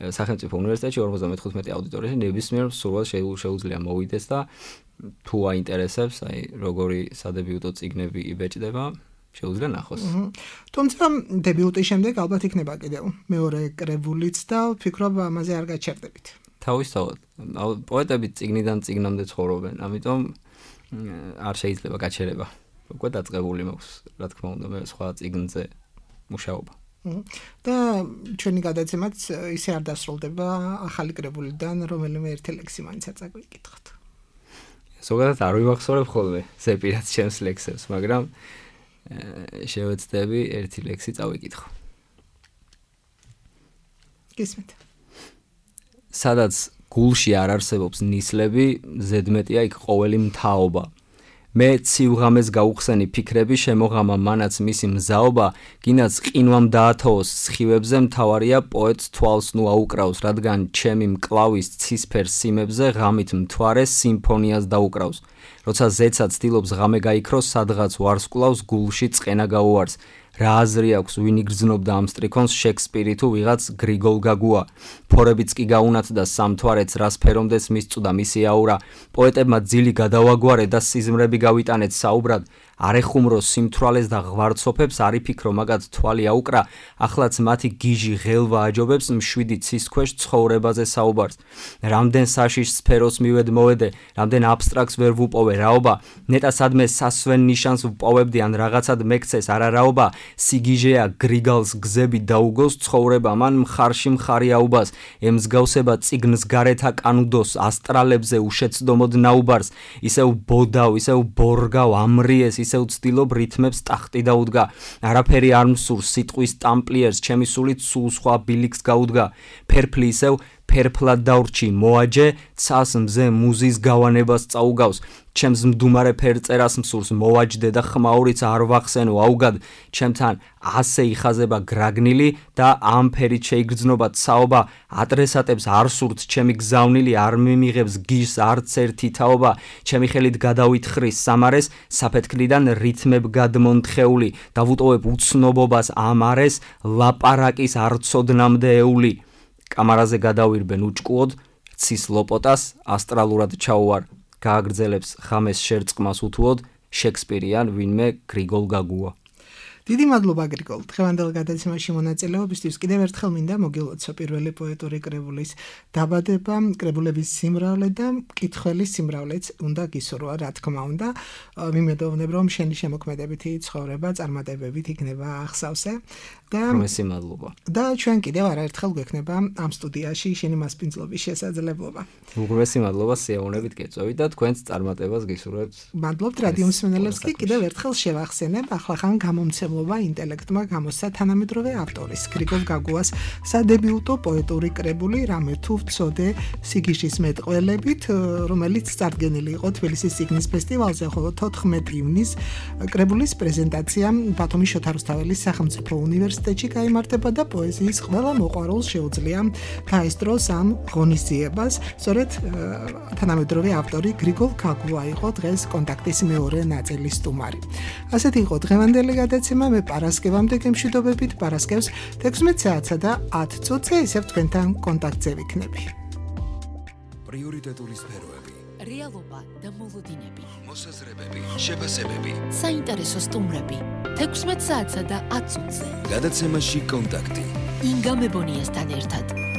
სახელმწიფო უნივერსიტეტში 55 აუდიტორიაში ნებისმიერ სურვილს შეუძლია მოვიდეს და თუ აინტერესებს, აი როგორი სადებიუტო წიგნები იბეჭდება, შეუძლია ნახოს. თუმცა დებიუტის შემდეგ ალბათ იქნება კიდევ მეორე კრებულიც და ვფიქრობ ამაზე არ გაჩერდებით. თავისთავად, პოეტები წიგნიდან წიგნამდე ცხოვრობენ, ამიტომ არ შეიძლება გაჩერება. უკვე დაწყებული მაქვს, რა თქმა უნდა, მე სხვა წიგნზე მუშაობა. და ჩვენი გადაცემაც ისე არ დასრულდება ახალი კრებულიდან, რომელიმე ერთი ლექსი მაინც არ წაგვიკითხოთ. ზოგადად არ ვიმახსოვრებ ხოლმე ზეპირად ჩემს ლექსებს, მაგრამ შევეცდები ერთი ლექსი წავიკითხო. გისმენთ. სადაც გულში არ არსებობს ნისლები, ზედმეტია იქ ყოველი მთაობა. მე ციუღამეს გაუხსენი ფიქრები შემოღამა მანაც მისი მზაობა, გინაც ყინვამ დაათოოს სხივებზე, მთავარია პოეტს თვალს ნუ აუკრავს, რადგან ჩემი მკლავის ცისფერ სიმებზე ღამით მთვარე სიმფონიას დაუკრავს. როცა ზეცა ცდილობს ღამე გაიქროს, სადღაც ვარსკვლავს გულში წყენა გაუარს. რა აზრი აქვს ვინ იგრძნობდა ამ სტრიქონს, შექსპირი თუ ვიღაც გრიგოლ გაგუა. ფორებიც კი გაუნათდა სამთვარეც, რას ფერომდეს მისწვდა მისი აურა. პოეტებმა ძილი გადავაგვარე და სიზმრები გავიტანეთ საუბრად. არ ეხუმროს სიმთვრალეს და ღვარცოფებს, არ იფიქრო მაგათ თვალი აუკრა. ახლაც მათი გიჟი ღელვა აჯობებს, მშვიდი ცის ქვეშ ცხოვრებაზე საუბარს. რამდენ საშიშ სფეროს მივედ მოვედე, რამდენ აბსტრაქტს ვერ ვუპოვე რაობა. ნეტა სადმე სასვენ ნიშანს ვპოვებდი, ან რაღაცად მეკცეს არარაობა. სიგიჟეა გრიგალს გზები დაუგოს, ცხოვრება მან მხარში მხარი აუბას. ემსგავსება წიგნს გარეთა კანუდოს, ასტრალებზე უშეცდომოდ ნაუბარს. ისევ ბოდავ, ისევ ბორგავ, ამრიეს, ისევ ცდილობ რითმებს ტახტი დაუდგა. არაფერი არ მსურს სიტყვის ტამპლიერს, ჩემი სულით სულ სხვა ბილიქს გაუდგა. ფერფლი ისევ ფერფლად დაურჩი, მოაჯე, ცას მზე მუზის გავანებას წაუგავს. ჩემს მდუმარე ფერწერას მსურს მოვაჯდე და ხმაურიც არ ვახსენო აუგად. ჩემთან ასე იხაზება გრაგნილი და ამ ფერით შეიგრძნობა ცაობა. ადრესატებს არ სურთ ჩემი გზავნილი, არ მიმიღებს გიშს არც ერთი თაობა. ჩემი ხელით გადავითხრის სამარეს, საფეთქლიდან რითმებ გადმონთხეული. დავუტოვებ უცნობობას ამ არეს, ლაპარაკის არცოდნამდე ეული. კამარაზე გადავირბენ უჭკუოდ, ცის ლოპოტას ასტრალურად ჩაუვარ. გააგრძელებს ხამეს შერწყმას უთუოდ, შექსპირიან ვინმე გრიგოლ გაგუა. დიდი მადლობა გრიგოლ, დღევანდელ გადაცემაში მონაწილეობისთვის. კიდევ ერთხელ მინდა მოგილოცო პირველი პოეტური კრებულის დაბადება, კრებულების სიმრავლე და მკითხველის სიმრავლეც უნდა გისურვა, რა თქმა უნდა. მიმედოვნებ, რომ შენი შემოქმედებითი ცხოვრება წარმატებებით იქნება ახსავსე. უმრესი მადლობა. და ჩვენ კიდევ არაერთხელ გვექნება ამ სტუდიაში შენი მასპინძლობის შესაძლებლობა. უმრესი მადლობა სიამოვნებით გეწევით და თქვენს წარმატებას გისურვებთ. მადლობთ რადიო მსმენელებს კი კიდევ ერთხელ შევახსენებ, ახლახან გამომცემლობა ინტელექტმა გამოსცა თანამედროვე ავტორის გრიგოლ გაგუას სადებიუტო პოეტური კრებული რამე თუ ვწოდე სიგიჟის მეტყველებით, რომელიც წარდგენილი იყო თბილისის წიგნის ფესტივალზე, ხოლო 14 ივნის კრებულის პრეზენტაცია ბათუმის შოთა რუსთაველის სახელმწიფო უნივერსიტეტში გაიმართება და პოეზიის ყველა მოყვარულს შეუძლია დაესწროს ამ ღონისძიებას. სწორედ თანამედროვე ავტორი გრიგოლ გაგუა იყო დღეს კონტაქტის მეორე ნაწილის სტუმარი. ასეთი იყო დღევანდელი გადაცემა. მე პარასკევამდე გემშვიდობებით, პარასკევს 16 საათსა და 10 წუთზე ისევ თქვენთან კონტაქტზე ვიქნები. პრიორიტეტული სფეროები, რეალობა და მოლოდინები, მოსაზრებები, შეფასებები, საინტერესო სტუმრები 16 საათსა და 10 წუთზე. გადაცემაში კონტაქტი. ინგა მებონიასთან ერთად.